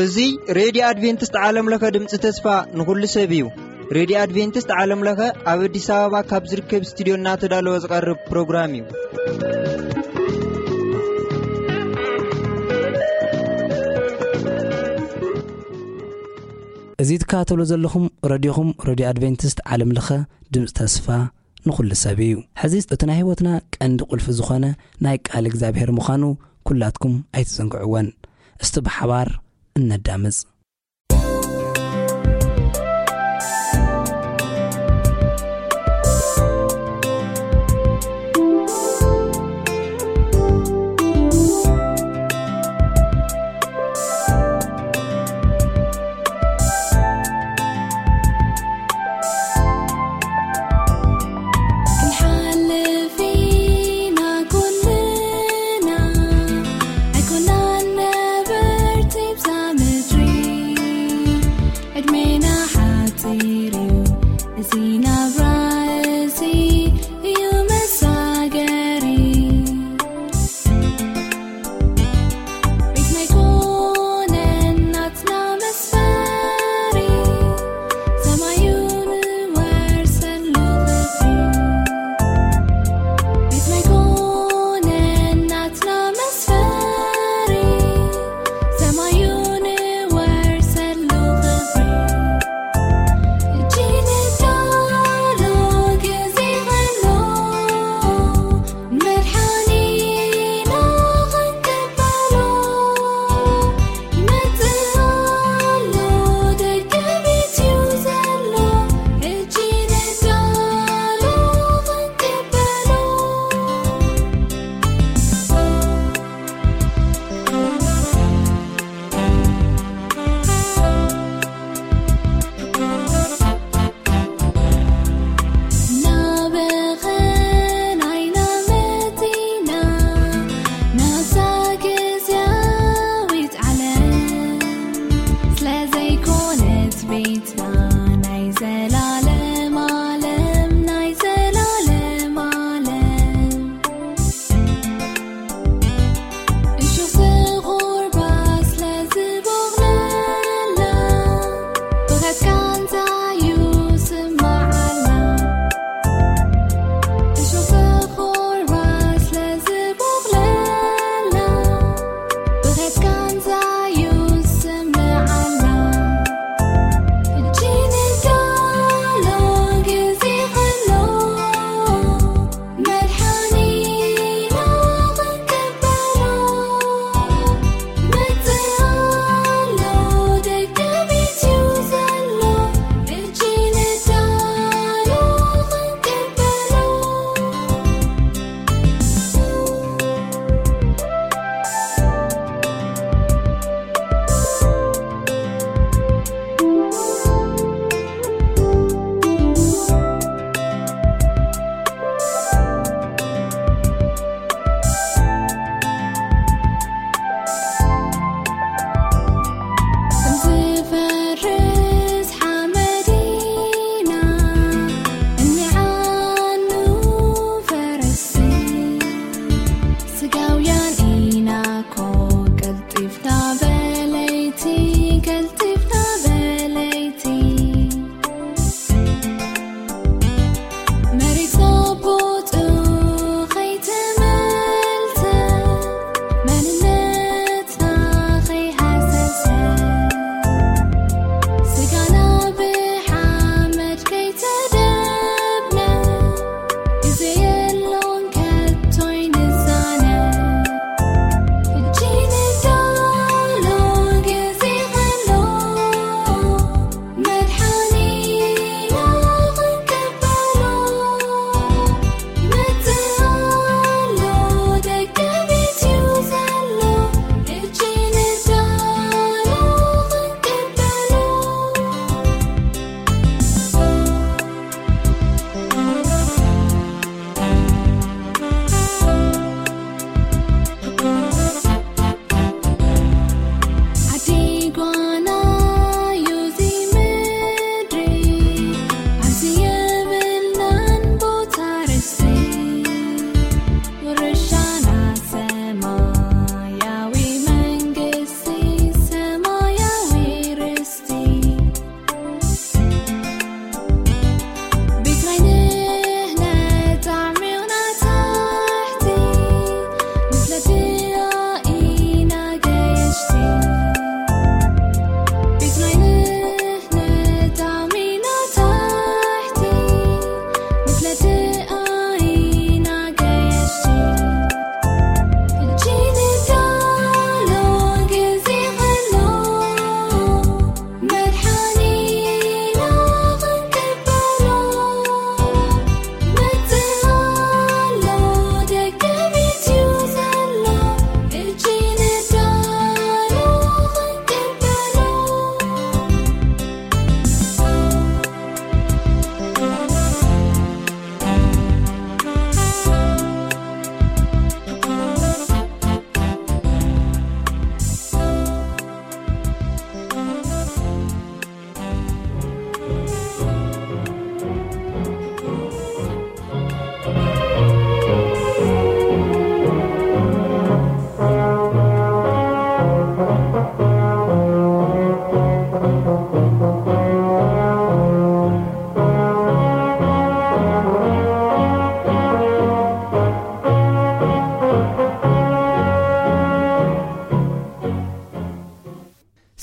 እዚ ሬድዮ ኣድቬንቲስት ዓለም ለኸ ድምፂ ተስፋ ንኹሉ ሰብ እዩ። ሬድዮ ኣድቬንቲስት ዓለም ለኸ ኣብ ኣዲስ ኣበባ ካብ ዝርከብ ስቱዲዮ እናተዳለወ ዝቐርብ ፕሮግራም እዩ። እዚ ትከታተሉ ዘለኹም ረድዮኹም፣ ረድዮ ኣድቬንቲስት ዓለም ለኸ ድምፂ ተስፋ ንኹሉ ሰብ እዩ። ሕዚ እቲ ናይ ህይወትና ቀንዲ ቁልፊ ዝኾነ ናይ ቃል እግዚኣብሔር ምዃኑ ኩላትኩም ኣይትዘንግዕወን። እስቲ ብሓባር እነዳምፅ። ክንሓልፍ ኢና ኩልና፣ ኣይኮናን ነበርቲ ብዛ ምድሪ። ዕድሜና ሓጺር እዩ፣ እዚ ናብራ እዚ እዩ መሳገሪ። ቤትና ኣይኮነን ናትና መስፈሪ፣ ሰማዩ ንወርሰሉ ክብሪ። ቤትና ኣይኮነን ናትና መስፈሪ፣ ሰማዩ ንወርሰሉ ክብሪ። እጅ ንዳ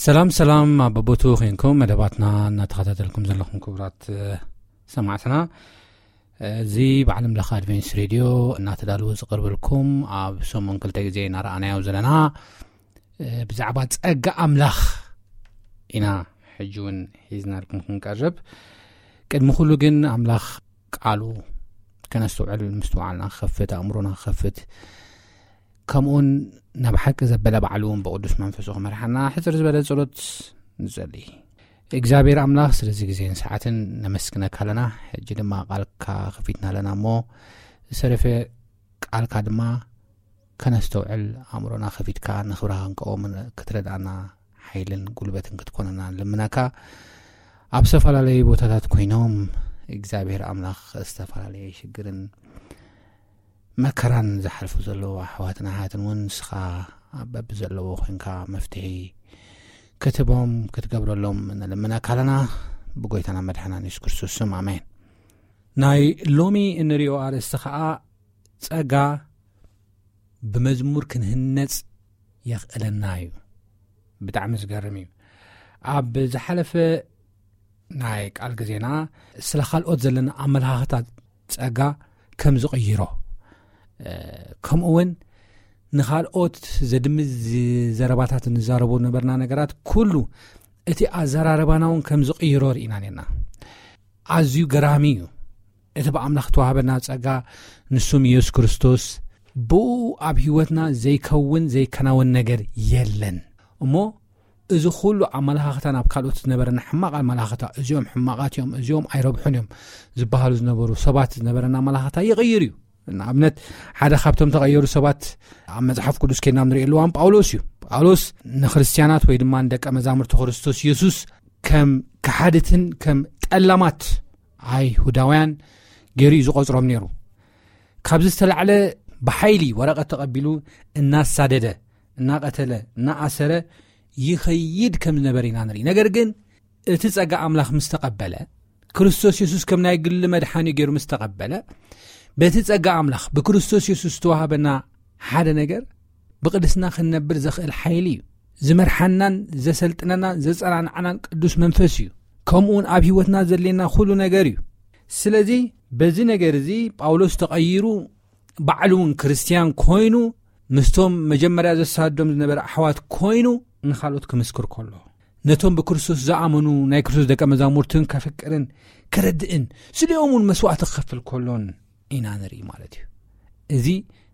ሰላም ሰላም፣ ኣብ በቦቱ ኮይንኩም መደባትና እናተኸታተልኩም ዘለኹም ክቡራት ሰማዕትና፣ እዚ ብዓለም ለኸ ኣድቬንስ ሬድዮ እናተዳለወ ዝቐርበልኩም፣ ኣብ ሰሙን ክልተ ግዜ እናረኣናዮ ዘለና ብዛዕባ ጸጋ ኣምላኽ ኢና ሕጂ እውን ሒዝናልኩም ክንቀርብ። ቅድሚ ኩሉ ግን ኣምላኽ ቃሉ ከነስተውዕል ምስትውዓልና ክኸፍት፣ ኣእምሮና ክኸፍት፣ ከምኡውን ናብ ሓቂ ዘበለ ባዕሉ እውን ብቅዱስ መንፈሱ ክመርሓና ሕፅር ዝበለ ጸሎት ንጸሊ። እግዚኣብሔር ኣምላኽ ስለዚ ግዜን ሰዓትን ነመስግነካ ኣለና። ሕጂ ድማ ቃልካ ከፊትና ኣለና እሞ ዝሰረፈ ቃልካ ድማ ከነስተውዕል ኣእምሮና ከፊትካ ንኽብርኻ ክንቀወምን ክትረድኣና ሓይልን ጉልበትን ክትኮነና ንልምነካ። ኣብ ዝተፈላለዩ ቦታታት ኮይኖም እግዚኣብሔር ኣምላኽ ዝተፈላለየ ሽግርን መከራን ዝሓልፉ ዘለዉ ኣሕዋትን ኣሓትን እውን ንስኻ ኣብ በብዘለዎ ኮይንካ መፍትሒ ክትቦም ክትገብረሎም ንልምነካ ኣለና። ብጎይታና መድሓናን የሱስ ክርስቶስ ስም ኣሜን። ናይ ሎሚ እንሪኦ ኣርእስቲ ኸዓ ጸጋ ብመዝሙር ክንህነጽ የኽእለና እዩ። ብጣዕሚ ዝገርም እዩ። ኣብ ዝሓለፈ ናይ ቃል ግዜና ስለ ካልኦት ዘለና ኣመለኻኽታ ጸጋ ከም ዝቕይሮ፣ ከምኡ እውን ንኻልኦት ዘድምዝ ዘረባታት ንዛረቦ ነበርና ነገራት ኩሉ እቲ ኣዘራረባና እውን ከም ዝቕይሮ ርኢና ነርና። ኣዝዩ ገራሚ እዩ። እቲ ብኣምላኽ ተዋህበና ጸጋ ንሱም ኢየሱስ ክርስቶስ ብኡ ኣብ ህይወትና ዘይከውን ዘይከናወን ነገር የለን። እሞ እዚ ኩሉ ኣመለኻኽታ ናብ ካልኦት ዝነበረና ሕማቕ ኣመለኻኽታ፣ እዚኦም ሕማቓት እዮም፣ እዚኦም ኣይረብሑን እዮም ዝበሃሉ ዝነበሩ ሰባት ዝነበረና ኣመለኻኽታ ይቕይር እዩ። ንኣብነት ሓደ ካብቶም ተቐየሩ ሰባት ኣብ መጽሓፍ ቅዱስ ኬድና ንሪኦ ኣለዋን ጳውሎስ እዩ። ጳውሎስ ንክርስትያናት ወይ ድማ ንደቀ መዛሙርቲ ክርስቶስ ኢየሱስ ከም ከሓድትን ከም ጠላማት ኣይሁዳውያን ገይሩ እዩ ዝቖጽሮም ነይሩ። ካብዚ ዝተላዕለ ብሓይሊ ወረቐት ተቐቢሉ እናሳደደ፣ እናቐተለ፣ እናኣሰረ ይኸይድ ከም ዝነበረ ኢና ንርኢ። ነገር ግን እቲ ጸጋ ኣምላኽ ምስ ተቐበለ፣ ክርስቶስ የሱስ ከም ናይ ግሊ መድሓኒ ገይሩ ምስ ተቐበለ፣ በቲ ጸጋ ኣምላኽ ብክርስቶስ የሱስ ዝተዋህበና ሓደ ነገር ብቕድስና ክንነብር ዘኽእል ሓይሊ እዩ። ዝመርሓናን ዘሰልጥነናን ዘጸናንዓናን ቅዱስ መንፈስ እዩ። ከምኡውን ኣብ ህይወትና ዘድልየና ኩሉ ነገር እዩ። ስለዚ በዚ ነገር እዚ ጳውሎስ ተቐይሩ ባዕሉ እውን ክርስትያን ኮይኑ ምስቶም መጀመርያ ዘሳድዶም ዝነበረ ኣሕዋት ኮይኑ ንኻልኦት ክምስክር ከሎ፣ ነቶም ብክርስቶስ ዝኣመኑ ናይ ክርስቶስ ደቀ መዛሙርትን ከፍቅርን ከረድእን ስሊኦም እውን መስዋዕቲ ክኸፍል ከሎን ኢና ንርኢ ማለት እዩ። እዚ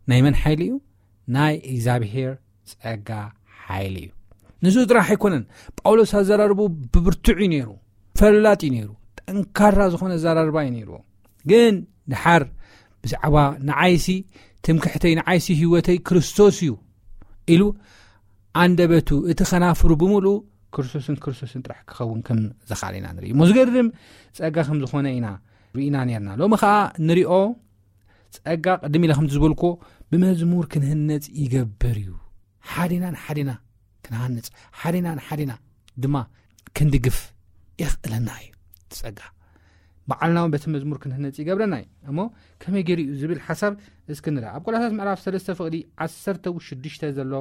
ናይ መን ሓይሊ እዩ? ናይ እግዚኣብሔር ጸጋ ሓይሊ እዩ። ንሱ ጥራሕ ኣይኮነን። ጳውሎስ ኣዘራርቡ ብብርቱዕ እዩ ነይሩ፣ ፈላጥ እዩ ነይሩ፣ ጠንካራ ዝኾነ ኣዘራርባ እዩ ነይርዎ። ግን ድሓር ብዛዕባ ንዓይሲ ትምክሕተይ፣ ንዓይሲ ህይወተይ ክርስቶስ እዩ ኢሉ ኣንደበቱ እቲ ኸናፍሩ ብምሉኡ ክርስቶስን ክርስቶስን ጥራሕ ክኸውን ከም ዝኽኣለ ኢና ንርኢ። እሞ ዝገርም ጸጋ ከም ዝኾነ ኢና ርኢና ነርና። ሎሚ ኸኣ ንሪኦ ጸጋ ቅድም ኢለ ከምቲ ዝበልኩዎ ብመዝሙር ክንህነጽ ይገብር እዩ። ሓዲና ንሓዲና ክንሃንጽ፣ ሓዲና ንሓዲና ድማ ክንድግፍ የኽእለና እዩ። ጸጋ ባዕልና እውን በቲ መዝሙር ክንህነጽ ይገብረና እዩ። እሞ ከመይ ገይሩ እዩ ዝብል ሓሳብ እስኪ ንርኣ። ኣብ ቆላሳስ ምዕራፍ ሰለስተ ፍቕዲ ዓሰርተ ሽዱሽተ ዘሎ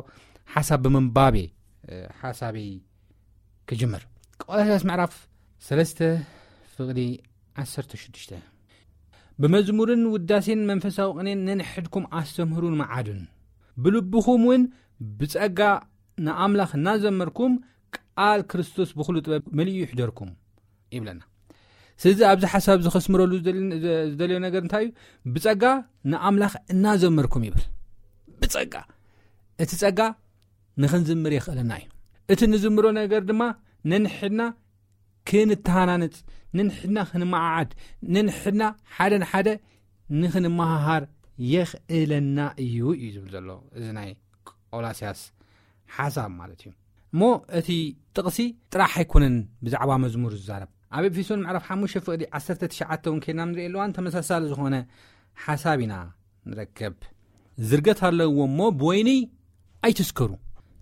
ሓሳብ ብምንባብ እየ ሓሳበይ ክጅምር። ቆላሳስ ምዕራፍ ሰለስተ ፍቕዲ ዓሰርተ ሽዱሽተ፣ ብመዝሙርን ውዳሴን መንፈሳዊ ቅኔን ነንሕድኩም ኣስተምህሩን መዓዱን፣ ብልብኹም እውን ብጸጋ ንኣምላኽ እናዘመርኩም ቃል ክርስቶስ ብኹሉ ጥበብ መሊኡ ይሕደርኩም ይብለና። ስለዚ ኣብዚ ሓሳብ እዚ ከስምረሉ ዝደልዮ ነገር እንታይ እዩ? ብጸጋ ንኣምላኽ እናዘመርኩም ይብል። ብጸጋ፣ እቲ ጸጋ ንኽንዝምር የኽእለና እዩ። እቲ ንዝምሮ ነገር ድማ ነንሕድና ክንተሃናነጽ፣ ነንሕድና ክንመዓዓድ፣ ነንሕድና ሓደ ንሓደ ንኽንመሃሃር የኽእለና እዩ እዩ ዝብል ዘሎ እዚ ናይ ቆላስያስ ሓሳብ ማለት እዩ። እሞ እቲ ጥቕሲ ጥራሕ ኣይኮነን ብዛዕባ መዝሙር ዝዛረብ። ኣብ ኤፌሶን ምዕራፍ ሓሙሽተ ፍቕዲ ዓሰርተ ትሽዓተ እውን ኬድና ንርኢ ኣለዋን ተመሳሳሊ ዝኾነ ሓሳብ ኢና ንረከብ። ዝርገት ኣለዎ እሞ ብወይኒ ኣይትስከሩ፣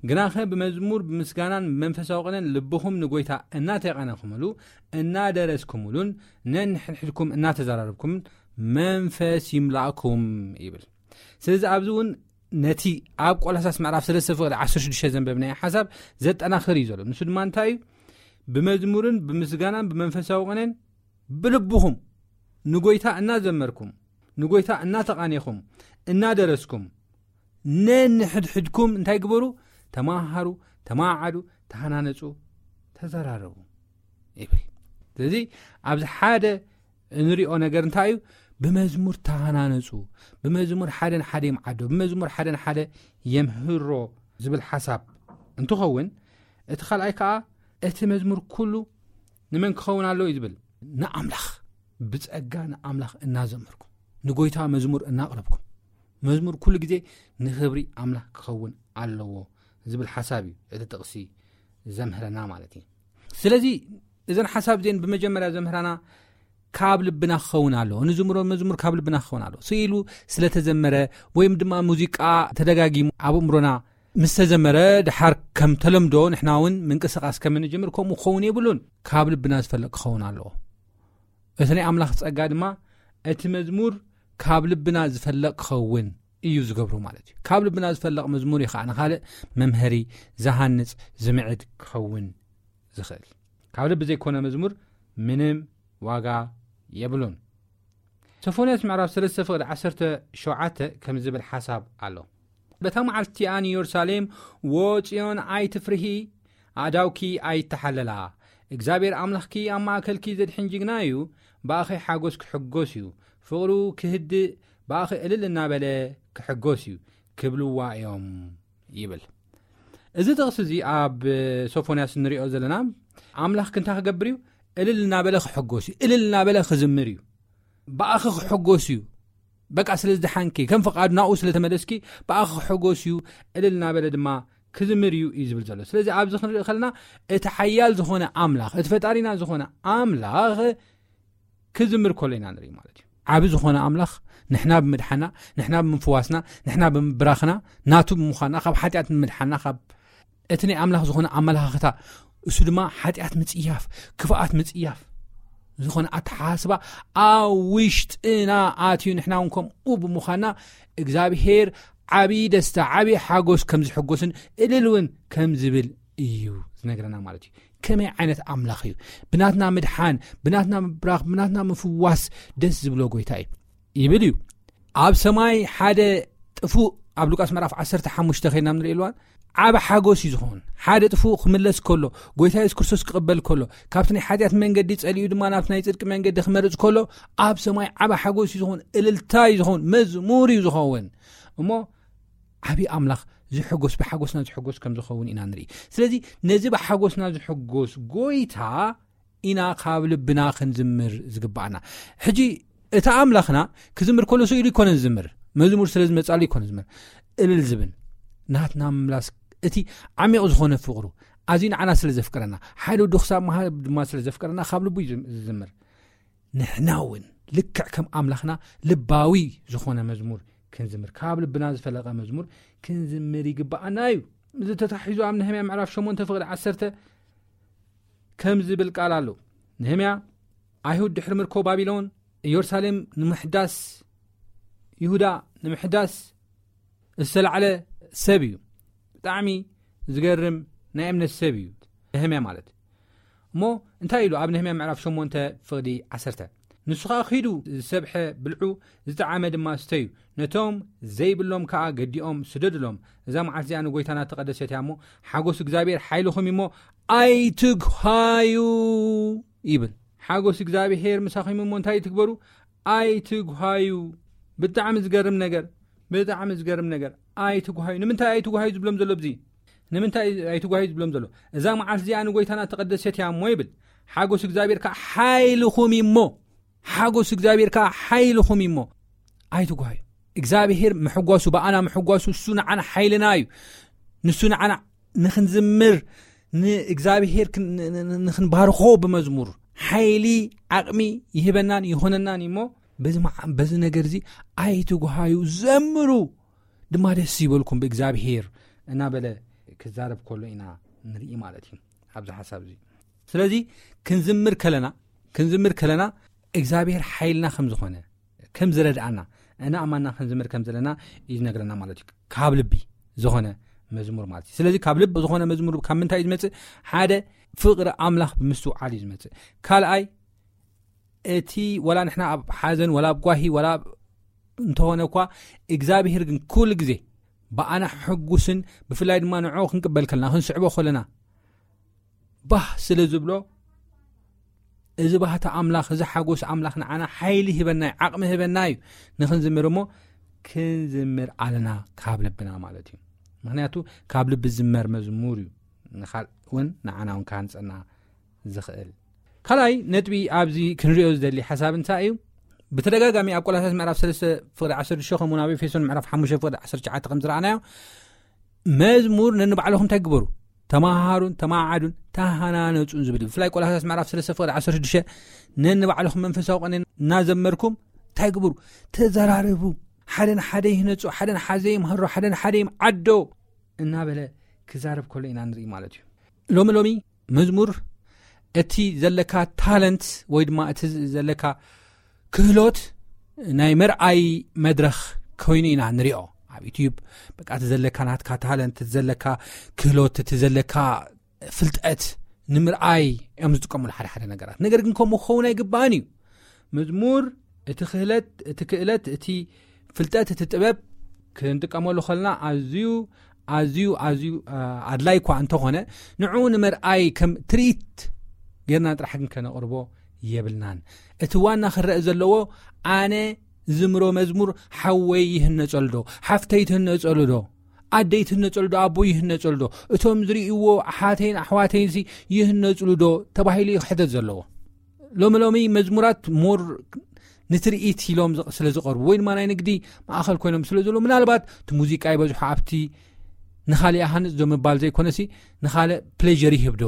ግናኸ ብመዝሙር ብምስጋናን ብመንፈሳዊ ቅነን ልብኹም ንጎይታ እናተቐነኹምሉ እናደረስኩምሉን ነንሕድሕድኩም እናተዘራረብኩምን መንፈስ ይምላእኩም ይብል። ስለዚ ኣብዚ እውን ነቲ ኣብ ቆላሳስ ምዕራፍ ሰለስተ ፍቕዲ ዓሰርተ ሽዱሽተ ዘንበብናዮ ሓሳብ ዘጠናኽር እዩ ዘሎ። ንሱ ድማ እንታይ እዩ? ብመዝሙርን ብምስጋናን ብመንፈሳዊ ቅኔን ብልብኹም ንጎይታ እናዘመርኩም፣ ንጎይታ እናተቓኔኹም፣ እናደረስኩም፣ ነንሕድሕድኩም እንታይ ግበሩ? ተማሃሩ፣ ተማዓዱ፣ ተሃናነጹ፣ ተዘራረቡ ይብል። ስለዚ ኣብዚ ሓደ እንሪኦ ነገር እንታይ እዩ? ብመዝሙር ተሃናነጹ፣ ብመዝሙር ሓደ ንሓደ ይምዓዶ፣ ብመዝሙር ሓደ ንሓደ የምህሮ ዝብል ሓሳብ እንትኸውን፣ እቲ ካልኣይ ከዓ እቲ መዝሙር ኩሉ ንመን ክኸውን ኣለዎ እዩ ዝብል? ንኣምላኽ። ብጸጋ ንኣምላኽ እናዘመርኩም፣ ንጎይታ መዝሙር እናቕረብኩም፣ መዝሙር ኩሉ ግዜ ንኽብሪ ኣምላኽ ክኸውን ኣለዎ ዝብል ሓሳብ እዩ እቲ ጥቕሲ ዘምህረና ማለት እዩ። ስለዚ እዘን ሓሳብ እዚን ብመጀመርያ ዘምህራና ካብ ልብና ክኸውን ኣለዎ። ንዝምሮ መዝሙር ካብ ልብና ክኸውን ኣለዎ። ስኢሉ ስለተዘመረ ወይም ድማ ሙዚቃ ተደጋጊሙ ኣብ እምሮና ምስ ተዘመረ ድሓር ከም ተለምዶ ንሕና እውን ምንቅስቃስ ከም እንጅምር ከምኡ ክኸውን የብሉን። ካብ ልብና ዝፈለቕ ክኸውን ኣለዎ። እቲ ናይ ኣምላኽ ጸጋ ድማ እቲ መዝሙር ካብ ልብና ዝፈለቕ ክኸውን እዩ ዝገብሮ ማለት እዩ። ካብ ልብና ዝፈለቕ መዝሙር እዩ ከዓ ንኻልእ መምሀሪ፣ ዝሃንጽ፣ ዝምዕድ ክኸውን ዝኽእል። ካብ ልቢ ዘይኮነ መዝሙር ምንም ዋጋ የብሉን። ሶፎንያስ ምዕራፍ ሰለስተ ፍቕዲ ዓሰርተ ሸውዓተ ከም ዝብል ሓሳብ ኣሎ። በታ መዓልቲ ኣን ኢየሩሳሌም፣ "ወ ጽዮን ኣይትፍርሂ፣ ኣእዳውኪ ኣይተሓለላ፣ እግዚኣብሔር ኣምላኽኪ ኣብ ማእከልኪ ዘድሕን ጅግና እዩ፣ ብኣኺ ሓጎስ ክሕጎስ እዩ፣ ፍቕሩ ክህድእ ብኣኺ እልል እናበለ ክሕጎስ እዩ" ክብልዋ እዮም ይብል። እዚ ጥቕሲ እዚ ኣብ ሶፎንያስ ንሪኦ ዘለና ኣምላኽ ክንታ ክገብር እዩ? እልል እናበለ ክሕጎስ እዩ። እልል እናበለ ክዝምር እዩ። ብኣኺ ክሕጎስ እዩ። በቃ ስለ ዝደሓንኪ፣ ከም ፍቓዱ ናብኡ ስለ ተመለስኪ፣ ብኣኺ ክሕጎስ እዩ፣ እልል እናበለ ድማ ክዝምር እዩ እዩ ዝብል ዘሎ። ስለዚ ኣብዚ ክንርኢ ከለና እቲ ሓያል ዝኾነ ኣምላኽ፣ እቲ ፈጣሪና ዝኾነ ኣምላኽ ክዝምር ከሎ ኢና ንርኢ ማለት እዩ። ዓቢ ዝኾነ ኣምላኽ ንሕና ብምድሓና፣ ንሕና ብምፍዋስና፣ ንሕና ብምብራኽና፣ ናቱ ብምዃንና፣ ካብ ሓጢኣት ንምድሓና፣ ካብ እቲ ናይ ኣምላኽ ዝኾነ ኣመለኻኽታ፣ እሱ ድማ ሓጢኣት ምጽያፍ፣ ክፍኣት ምጽያፍ ዝኾነ ኣተሓሳስባ ኣብ ውሽጥና ኣትዩ፣ ንሕና እውን ከምኡ ብምዃንና እግዚኣብሔር ዓቢ ደስታ፣ ዓቢ ሓጎስ ከም ዝሕጎስን እልል እውን ከም ዝብል እዩ ዝነግረና ማለት እዩ። ከመይ ዓይነት ኣምላኽ እዩ? ብናትና ምድሓን፣ ብናትና ምብራኽ፣ ብናትና ምፍዋስ ደስ ዝብሎ ጎይታ እዩ ይብል እዩ። ኣብ ሰማይ ሓደ ጥፉእ፣ ኣብ ሉቃስ ምዕራፍ ዓሰርተ ሓሙሽተ ኸይድና ንርኢ ኣለዋን፣ ዓቢ ሓጎስ እዩ ዝኾን። ሓደ ጥፉእ ክምለስ ከሎ፣ ጎይታ የሱስ ክርስቶስ ክቕበል ከሎ፣ ካብቲ ናይ ሓጢኣት መንገዲ ጸሊኡ ድማ ናብቲ ናይ ጽድቂ መንገዲ ክመርጽ ከሎ፣ ኣብ ሰማይ ዓቢ ሓጎስ እዩ ዝኾን፣ እልልታ እዩ ዝኾን፣ መዝሙር እዩ ዝኸውን። እሞ ዓቢ ኣምላኽ ዝሕጎስ፣ ብሓጎስና ዝሕጎስ ከም ዝኸውን ኢና ንርኢ። ስለዚ ነዚ ብሓጎስና ዝሕጎስ ጎይታ ኢና ካብ ልብና ክንዝምር ዝግባኣና። ሕጂ እቲ ኣምላኽና ክዝምር ከሎ ስኢሉ ይኮነ ዝዝምር፣ መዝሙር ስለ ዝመጻሉ ይኮነ ዝዝምር። እልል ዝብል ናትና ምምላስ፣ እቲ ዓሚቕ ዝኾነ ፍቕሩ፣ ኣዝዩ ንዓና ስለ ዘፍቅረና፣ ሓደ ወዱ ክሳብ ምሃብ ድማ ስለ ዘፍቅረና ካብ ልቡ እዩ ዝም-፣ ዝዝምር። ንሕና እውን ልክዕ ከም ኣምላኽና ልባዊ ዝኾነ መዝሙር ክንዝምር፣ ካብ ልብና ዝፈለቐ መዝሙር ክንዝምር ይግባኣና እዩ። እዚ ተታሒዙ ኣብ ነህምያ ምዕራፍ ሸሞንተ ፍቕዲ ዓሰርተ ከም ዝብል ቃል ኣሎ። ነህምያ፣ "ኣይሁድ ድሕሪ ምርኮ ባቢሎን፣ ኢየሩሳሌም ንምሕዳስ፣ ይሁዳ ንምሕዳስ ዝተላዕለ ሰብ እዩ። ብጣዕሚ ዝገርም ናይ እምነት ሰብ እዩ ነህምያ ማለት." እሞ እንታይ ኢሉ ኣብ ነህምያ ምዕራፍ ሸሞንተ ፍቕዲ ዓሰርተ? "ንሱ ኸኣ ኺዱ ዝሰብሐ ብልዑ፣ ዝጠዓመ ድማ ስተዩ፣ ነቶም ዘይብሎም ከኣ ገዲኦም ስደዱሎም። እዛ መዓልቲ እዚኣ ንጎይታና ተቐደሰት እያ እሞ፣ ሓጎስ እግዚኣብሔር ሓይልኹም እዩ እሞ ኣይትጉሃዩ" ይብል። ሓጎስ እግዚኣብሔር ምሳኹም እዩ እሞ እንታይ ትግበሩ? ኣይትጉሃዩ። ብጣዕሚ ዝገርም ነገር፣ ብጣዕሚ ዝገርም ነገር። ኣይትጉሃዩ። ንምንታይ ኣይትጉሃዩ ዝብሎም ዘሎ? ብዚ ንምንታይ ኣይትጉሃዩ ዝብሎም ዘሎ? "እዛ መዓልቲ እዚኣ ንጎይታና ተቐደሰት እያ እሞ" ይብል። ሓጎስ እግዚኣብሔር ከዓ ሓይልኹም እዩ እሞ፣ ሓጎስ እግዚኣብሔር ከዓ ሓይልኹም እዩ እሞ ኣይትጉሃዩ። እግዚኣብሔር ምሕጓሱ፣ ብኣና ምሕጓሱ፣ እሱ ንዓና ሓይልና እዩ። ንሱ ንዓና ንኽንዝምር፣ ንእግዚኣብሔር ክን-፣ ን-፣ ን-፣ ንኽንባርኾ ብመዝሙር ሓይሊ፣ ዓቕሚ ይህበናን ይኾነናን እዩ እሞ፣ በዚ መዓ-፣ በዚ ነገር እዚ ኣይትጉሃዩ፣ ዘምሩ፣ ድማ ደስ ይበልኩም ብእግዚኣብሔር እናበለ ክዛረብ ከሎ ኢና ንርኢ ማለት እዩ ኣብዚ ሓሳብ እዚ። ስለዚ ክንዝምር ከለና፣ ክንዝምር ከለና እግዚኣብሔር ሓይልና ከም ዝኾነ፣ ከም ዝረድኣና፣ እና ኣማና ክንዝምር ከም ዘለና እዩ ዝነግረና ማለት እዩ። ካብ ልቢ ዝኾነ መዝሙር ማለት እዩ። ስለዚ ካብ ልቢ ዝኾነ መዝሙር ካብ ምንታይ እዩ ዝመጽእ? ሓደ፣ ፍቕሪ ኣምላኽ ብምስትውዓል እዩ ዝመጽእ። ካልኣይ፣ እቲ ወላ ንሕና ኣብ ሓዘን፣ ወላ ኣብ ጓሂ፣ ወላ ኣብ እንተኾነ እኳ፣ እግዚኣብሄር ግን ኩሉ ግዜ ብኣና ሕጉስን ብፍላይ ድማ ንዕኡ ክንቅበል ከለና፣ ክንስዕቦ ከለና፣ ባህ ስለ ዝብሎ፣ እዚ ባህታ ኣምላኽ፣ እዚ ሓጎስ ኣምላኽ ንዓና ሓይሊ ሂበና እዩ፣ ዓቕሚ ሂበና እዩ። ንኽንዝምር እሞ ክንዝምር ኣለና ካብ ልብና ማለት እዩ። ምኽንያቱ ካብ ልቢ ዝመር መዝሙር እዩ ንኻልእ እውን ንዓና እውን ክሃንጸና ዝኽእል። ካልኣይ ነጥቢ ኣብዚ ክንሪኦ ዝደሊ ሓሳብ እንታይ እዩ? ብተደጋጋሚ ኣብ ቆላሳስ ምዕራፍ ሰለስተ ፍቕዲ ዓሰርተ ሽዱሽተ ከምኡውን ኣብ ኤፌሶን ምዕራፍ ሓሙሽተ ፍቕዲ ዓሰርተ ትሽዓተ ከም ዝረኣናዮ፣ መዝሙር ነንባዕልኹም እንታይ ግበሩ? ተመሃሃሩን ተማዓዱን ተሃናነጹን ዝብል እዩ። ብፍላይ ቆላሳስ ምዕራፍ ሰለስተ ፍቕዲ ዓሰርተ ሽዱሽተ፣ ነንባዕልኹም መንፈሳዊ ቅኔ እናዘመርኩም እንታይ ግበሩ? ተዘራረቡ። ሓደ ንሓደ ይህነጹ፣ ሓደ ንሓደ ይምሃሮ፣ ሓደ ንሓደ ይምዓዶ እናበለ ክዛረብ ከሎ ኢና ንርኢ ማለት እዩ። ሎሚ ሎሚ መዝሙር እቲ ዘለካ ታለንት ወይ ድማ እቲ ዘለካ ክህሎት ናይ መርኣይ መድረኽ ኮይኑ ኢና ንሪኦ። ኣብ ዩትዩብ በቃ እቲ ዘለካ ናትካ ታለንት፣ እቲ ዘለካ ክህሎት፣ እቲ ዘለካ ፍልጠት ንምርኣይ እዮም ዝጥቀሙሉ ሓደ ሓደ ነገራት። ነገር ግን ከምኡ ክኸውን ኣይግባእን እዩ። መዝሙር እቲ ክህለት፣ እቲ ክእለት፣ እቲ ፍልጠት፣ እቲ ጥበብ ክንጥቀመሉ ከለና ኣዝዩ፣ ኣዝዩ፣ ኣዝዩ፣ አ፣ ኣድላይ እኳ እንተኾነ፣ ንዕኡ ንምርኣይ ከም ትርኢት ጌርና ጥራሕ ግን ከነቕርቦ የብልናን። እቲ ዋና ክረአ ዘለዎ፣ ኣነ ዝምሮ መዝሙር ሓወይ ይህነጸሉ ዶ? ሓፍተይ ትህነጸሉ ዶ? ኣደይ ትህነጸሉ ዶ? ኣቦይ ይህነጸሉ ዶ? እቶም ዝርእይዎ ኣሓተይን ኣሕዋተይንሲ ይህነጽሉ ዶ? ተባሂሉ እዩ ክሕተት ዘለዎ። ሎሚ ሎሚ መዝሙራት ሞር ንትርኢት ኢሎም ዝ-፣ ስለ ዝቐርቡ ወይ ድማ ናይ ንግዲ ማእኸል ኮይኖም ስለ ዘለዉ፣ ምናልባት እቲ ሙዚቃ ይበዝሖ ኣብቲ ንኻሊእ ሃንጽ ዶ ምባል ዘይኮነሲ፣ ንኻልእ ፕሌዥር ይህብ ዶ?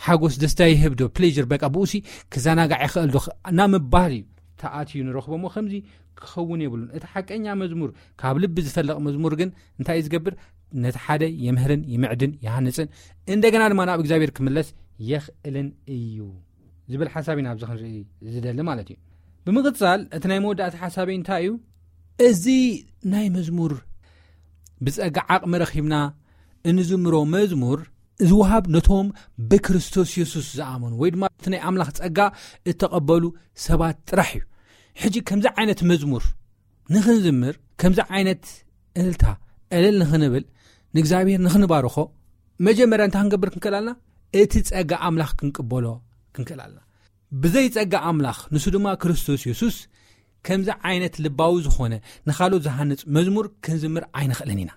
ሓጎስ ደስታ ይህብ ዶ? ፕሌዥር በቃ ብኡሲ ክዘናጋዕ ይኽእል ዶ? ና ምባል እዩ ተኣትዩ ንረኽቦ እሞ ከምዚ ክኸውን የብሉን። እቲ ሓቀኛ መዝሙር፣ ካብ ልቢ ዝፈልቕ መዝሙር ግን እንታይ እዩ ዝገብር? ነቲ ሓደ የምህርን ይምዕድን ይሃንጽን፣ እንደገና ድማ ናብ እግዚኣብሔር ክምለስ የኽእልን እዩ ዝብል ሓሳብ ኢና ኣብዚ ክንርኢ ዝደሊ ማለት እዩ። ብምቕጻል እቲ ናይ መወዳእታ ሓሳበይ እንታይ እዩ? እዚ ናይ መዝሙር ብጸጋ ዓቕሚ ረኺብና እንዝምሮ መዝሙር ዝወሃብ ነቶም ብክርስቶስ የሱስ ዝኣመኑ ወይ ድማ እቲ ናይ ኣምላኽ ጸጋ እተቐበሉ ሰባት ጥራሕ እዩ። ሕጂ ከምዚ ዓይነት መዝሙር ንኽንዝምር፣ ከምዚ ዓይነት እልልታ እልል ንኽንብል፣ ንእግዚኣብሔር ንኽንባርኾ፣ መጀመርያ እንታይ ክንገብር ክንክእል ኣለና? እቲ ጸጋ ኣምላኽ ክንቅበሎ ክንክእል ኣለና። ብዘይ ጸጋ ኣምላኽ፣ ንሱ ድማ ክርስቶስ የሱስ፣ ከምዚ ዓይነት ልባዊ ዝኾነ ንኻልኦት ዝሃንጽ መዝሙር ክንዝምር ኣይንኽእልን ኢና።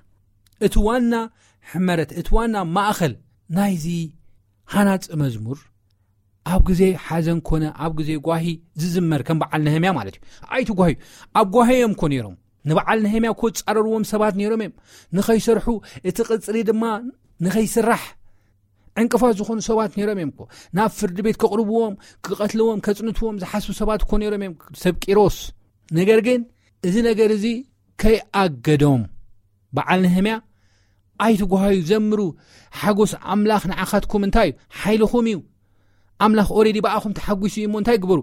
እቲ ዋና ሕመረት፣ እቲ ዋና ማእኸል ናይዚ ሃናጺ መዝሙር ኣብ ግዜ ሓዘን ኮነ ኣብ ግዜ ጓሂ ዝዝመር ከም በዓል ነህምያ ማለት እዩ። ኣይትጓህዩ። ኣብ ጓሂ እዮም እኮ ነይሮም። ንበዓል ነህምያ እኮ ዝጻረርዎም ሰባት ነይሮም እዮም። ንኸይሰርሑ፣ እቲ ቅጽሪ ድማ ንኸይስራሕ ዕንቅፋት ዝኾኑ ሰባት ነይሮም እዮም እኮ። ናብ ፍርዲ ቤት ከቕርብዎም፣ ክቐትልዎም፣ ከጽንትዎም ዝሓስቡ ሰባት እኮ ነይሮም እዮም፣ ሰብ ቂሮስ። ነገር ግን እዚ ነገር እዚ ከይኣገዶም፣ በዓል ነህምያ፣ "ኣይትጓሃዩ፣ ዘምሩ፣ ሓጎስ ኣምላኽ ንዓኻትኩም እንታይ እዩ? ሓይልኹም እዩ። ኣምላኽ ኦሬዲ ብኣኹም ተሓጒሱ እዩ እሞ እንታይ ግበሩ?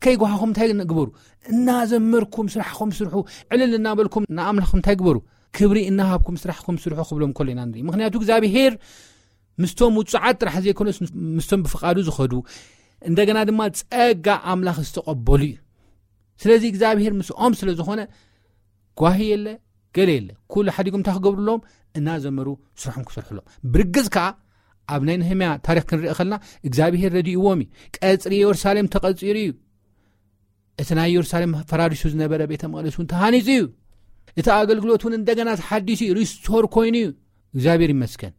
ከይጓሃኹም እንታይ ግበሩ? እናዘመርኩም ስራሕኹም ስርሑ፣ ዕልል እናበልኩም ንኣምላኽኩም እንታይ ግበሩ? ክብሪ እናሃብኩም ስራሕኩም ስርሑ" ክብሎም ከሎ ኢና ንርኢ። ምኽንያቱ እግዚኣብሄር ምስቶም ውጹዓት ጥራሕ ዘይኮነስ ምስቶም ብፍቓዱ ዝኸዱ፣ እንደገና ድማ ጸጋ ኣምላኽ ዝተቐበሉ እዩ። ስለዚ እግዚኣብሄር ምስኦም ስለ ዝኾነ ጓሂ የለ፣ ገለ የለ። ኩሉ ሓዲጎም እንታይ ክገብሩ ኣለዎም? እናዘመሩ ስርሖም ክሰርሑ ኣለዎም። ብርግጽ ከኣ ኣብ ናይ ነህምያ ታሪኽ ክንርኢ ከለና እግዚኣብሄር ረዲእዎም እዩ። ቀጽሪ የሩሳሌም ተቐጺሩ እዩ። እቲ ናይ የሩሳሌም ፈራሪሱ ዝነበረ ቤተ መቕደስ እውን ተሃኒጹ እዩ። እቲ ኣገልግሎት እውን እንደገና ተሓዲሱ እዩ፣ ሪስቶር ኮይኑ እዩ። እግዚኣብሔር ይመስገን።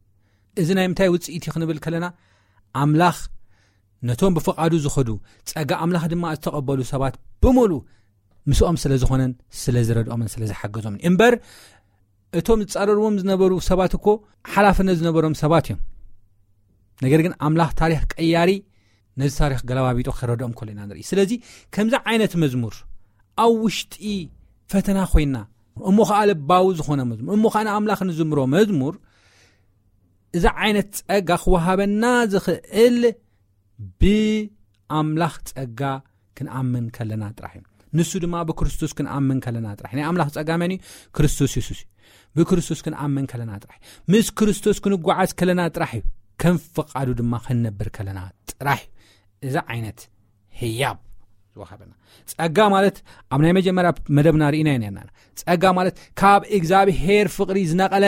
እዚ ናይ ምንታይ ውጽኢት እዩ ክንብል ከለና፣ ኣምላኽ ነቶም ብፍቓዱ ዝኸዱ፣ ጸጋ ኣምላኽ ድማ ዝተቐበሉ ሰባት ብምሉእ ምስኦም ስለ ዝኾነን ስለ ዝረድኦምን ስለ ዝሓገዞምን እምበር፣ እቶም ዝጻረርዎም ዝነበሩ ሰባት እኮ ሓላፍነት ዝነበሮም ሰባት እዮም። ነገር ግን ኣምላኽ ታሪኽ ቀያሪ ነዚ ታሪኽ ገለባቢጦ ክረድኦም ከሎ ኢና ንርኢ። ስለዚ ከምዚ ዓይነት መዝሙር ኣብ ውሽጢ ፈተና ኮይና፣ እሞ ኸዓ ልባዊ ዝኾነ መዝሙር፣ እሞ ኸዓ ንኣምላኽ ንዝምሮ መዝሙር፣ እዚ ዓይነት ጸጋ ክወሃበና ዝኽእል ብኣምላኽ ጸጋ ክንኣምን ከለና ጥራሕ እዩ። ንሱ ድማ ብክርስቶስ ክንኣምን ከለና ጥራሕ። ናይ ኣምላኽ ጸጋ መን እዩ? ክርስቶስ የሱስ እዩ። ብክርስቶስ ክንኣምን ከለና ጥራሕ፣ ምስ ክርስቶስ ክንጓዓዝ ከለና ጥራሕ እዩ፣ ከም ፍቓዱ ድማ ክንነብር ከለና ጥራሕ እዩ እዚ ዓይነት ህያብ ዝወሃበና። ጸጋ ማለት ኣብ ናይ መጀመርያ መደብና ርኢና ኢና ነርና። ጸጋ ማለት ካብ እግዚኣብሔር ፍቕሪ ዝነቐለ፣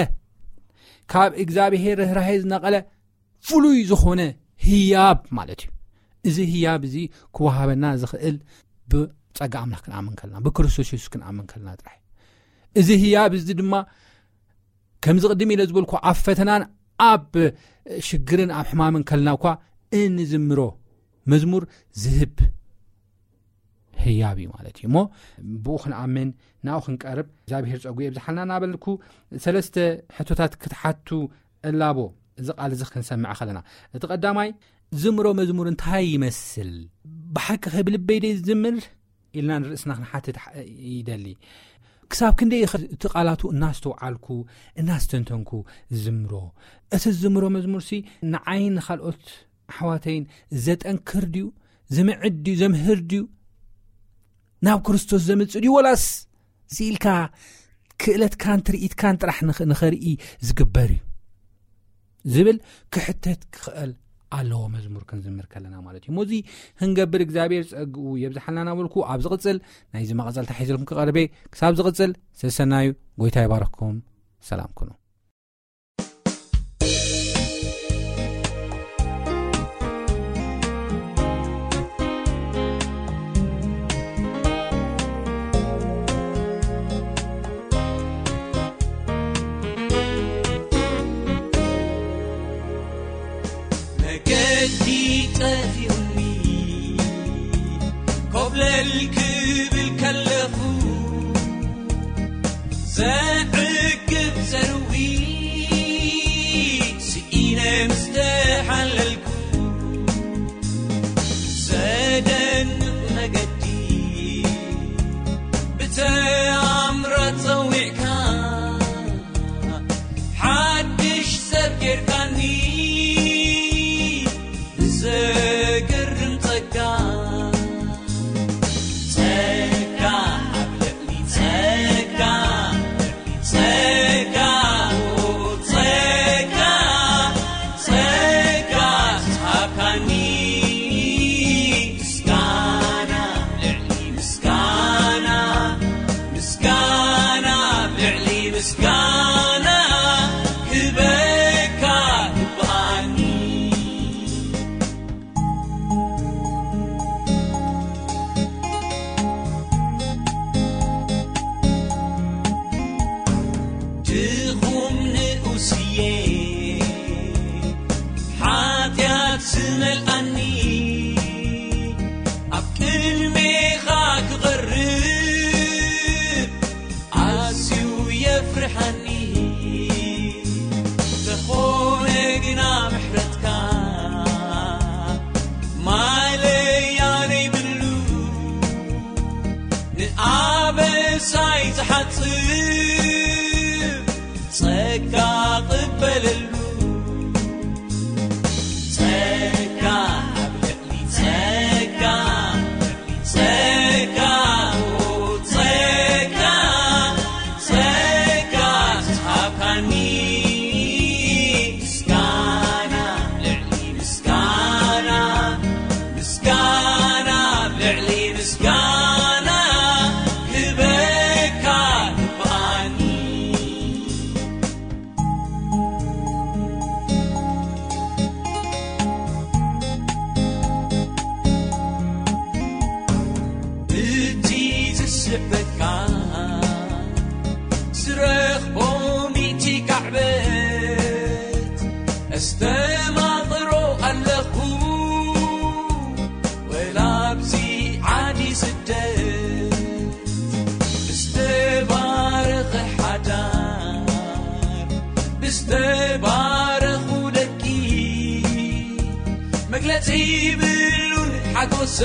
ካብ እግዚኣብሔር ርህራሄ ዝነቐለ ፍሉይ ዝኾነ ህያብ ማለት እዩ። እዚ ህያብ እዚ ክወሃበና ዝኽእል ብጸጋ ኣምላኽ ክንኣምን ከለና፣ ብክርስቶስ የሱስ ክንኣምን ከለና ጥራሕ እዩ። እዚ ህያብ እዚ ድማ ከምዚ ቅድም ኢለ ዝበልኩ ኣብ ፈተናን ኣብ ሽግርን ኣብ ሕማምን ከለና እኳ እንዝምሮ መዝሙር ዝህብ ህያብ እዩ ማለት እዩ። እሞ ብኡ ክንኣምን፣ ናብኡ ክንቀርብ እግዚኣብሔር ጸጉ የብዝሓልና እናበልኩ፣ ሰለስተ ሕቶታት ክትሓቱ እላቦ። እዚ ቃል እዚ ክንሰምዕ ከለና፣ እቲ ቀዳማይ፣ ዝምሮ መዝሙር እንታይ ይመስል? ብሓቂ ከ ብልበይ ደይ ዝምር ኢልና ንርእስና ክንሓትት ይደሊ። ክሳብ ክንደይ እቲ ቃላቱ እናስተውዓልኩ እናስተንተንኩ ዝምሮ? እቲ ዝምሮ መዝሙርሲ ንዓይን ንኻልኦት ኣሕዋተይን ዘጠንክር ድዩ? ዝምዕድ ድዩ? ዘምህር ድዩ? ናብ ክርስቶስ ዘምጽእ ድዩ? ወላስ ስኢልካ ክእለትካን ትርኢትካን ጥራሕ ንኸርኢ ዝግበር እዩ ዝብል ክሕተት ክኽእል ኣለዎ፣ መዝሙር ክንዝምር ከለና ማለት እዩ። ሞዚ ክንገብር እግዚኣብሔር ጸግኡ የብዝሓልና እናበልኩ፣ ኣብ ዝቕጽል ናይዚ መቐጸልታ ሒዘልኩም ክቐርበ። ክሳብ ዝቕጽል ሰሰናዩ። ጎይታ ይባረኽኩም። ሰላም ኩኑ። መገዲ ጠፊኡኒ፣ ኮብለል ክብል ከለኹ፣ ዘዕግብ ዘርዊ ስኢነ ምስ ተሓለልኩ፣ ዘደንቕ መገዲ ብተኣምራት ጸዊዕካ፣ ሓድሽ ሰብ ጌርካኒ ብዘገርም ጸጋ። ጸጋ ኣብ ልዕሊ ጸጋ፣ ጸጋ፣ ጸጋ፣ ጸጋ ዝሃብካኒ፣ ምስጋና ልዕሊ ምስጋና፣ ምስጋና ልዕሊ ምስጋና ክበካ ይግብኣኒ። ድኹም ንኡስየ ሓጢኣት ዝመልኣኒ፣ ኣብ ቅድሜኻ ክቐርብ ኣዝዩ የፍርሓኒ። ተኾነ ግና ምሕረትካ ማለያ ዘይብሉ፣ ንኣበሳይ ዝሓጽብ ጸጋ ቅበለሉ። ጸጋ ኣብ ልዕሊ ጸጋ፣ ጸጋ፣ ጸጋ፣ ጸጋ ዝሃብካኒ፣ ምስጋና ልዕሊ ምስጋና፣ ምስጋና ልዕሊ ምስጋና ክበካ ይግብኣኒ። እቲ ዝስሕበካ ዝረኽቦ ሚእቲ ካዕበት ኣስተማቕሮ ኣለኹ። ወላ ኣብዚ ዓዲ ስደት ብዝተባረኸ ሓዳር፣ ብዝተባረኹ ደቂ፣ መግለጺ ይብሉን ሓጎሰ